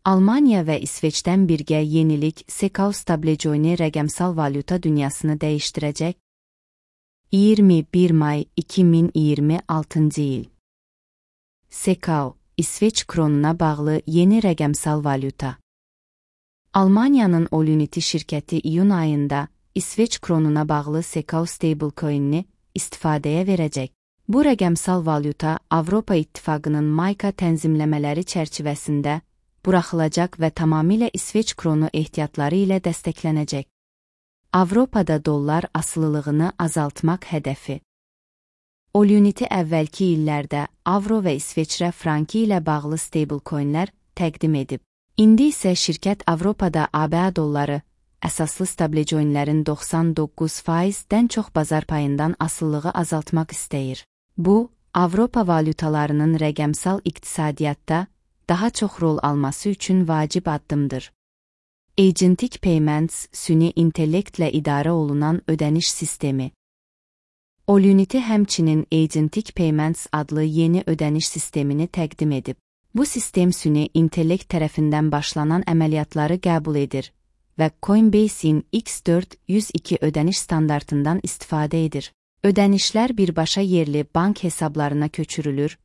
Almanya və İsveçdən birgə yenilik Sekao Stablecoin rəqəmsal valyuta dünyasını dəyişdirəcək. 21 may 2026 il. Sekao, İsveç kronuna bağlı yeni rəqəmsal valyuta. Almaniyanın Oluniti şirkəti iyun ayında İsveç kronuna bağlı Sekao stablecoin'ini istifadəyə verəcək. Bu rəqəmsal valyuta Avropa İttifaqının Mayka tənzimləmələri çərçivəsində buraxılacaq və tamamilə İsveç kronu ehtiyatları ilə dəstəklənəcək. Avropada dollar asılılığını azaltmaq hədəfi. Oluniti əvvəlki illərdə avro və İsveçrə franki ilə bağlı stablecoinlər təqdim edib. İndi isə şirkət Avropada ABA dolları əsaslı stablecoinlərin 99%-dən çox bazar payından asılılığı azaltmaq istəyir. Bu, Avropa valyutalarının rəqəmsal iqtisadiyyatda daha çox rol alması üçün vacib addımdır. Agentic Payments, süni intellektlə idarə olunan ödəniş sistemi. Oluniti həmçinin Agentic Payments adlı yeni ödəniş sistemini təqdim edib. Bu sistem süni intellekt tərəfindən başlanan əməliyyatları qəbul edir və Coinbase'in X402 ödəniş standartından istifadə edir. Ödənişlər birbaşa yerli bank hesablarına köçürülür.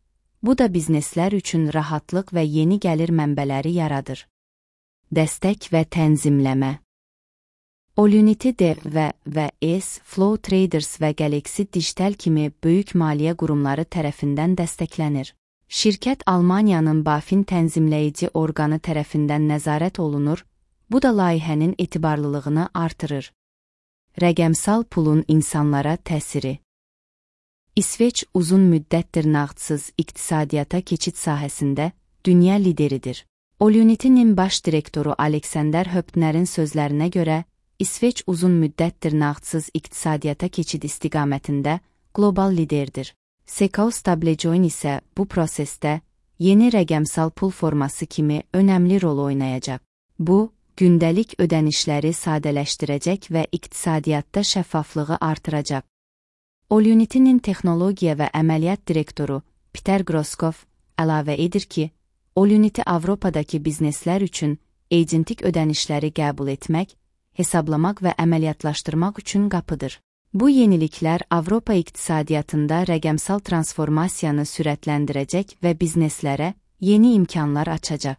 Bu da bizneslər üçün rahatlıq və yeni gəlir mənbələri yaradır. Dəstək və tənzimləmə. Oluniti D və S, Flow Traders və Galaxy Digital kimi böyük maliyyə qurumları tərəfindən dəstəklənir. Şirkət Almaniyanın BaFin tənzimləyici orqanı tərəfindən nəzarət olunur, bu da layihənin etibarlılığını artırır. Rəqəmsal pulun insanlara təsiri. İsveç uzun müddətdir nağdsız iqtisadiyyata keçid sahəsində dünya lideridir. Olunitinin baş direktoru Alexander Höptnerin sözlərinə görə, İsveç uzun müddətdir nağdsız iqtisadiyyata keçid istiqamətində qlobal liderdir. Sekao Stablecoin isə bu prosesdə yeni rəqəmsal pul forması kimi önəmli rol oynayacaq. Bu, gündəlik ödənişləri sadələşdirəcək və iqtisadiyyatda şəffaflığı artıracaq. Olunitinin texnologiya və əməliyyat direktoru Peter Groskov əlavə edir ki, Oluniti Avropadakı bizneslər üçün agentik ödənişləri qəbul etmək, hesablamaq və əməliyyatlaşdırmaq üçün qapıdır. Bu yeniliklər Avropa iqtisadiyyatında rəqəmsal transformasiyanı sürətləndirəcək və bizneslərə yeni imkanlar açacaq.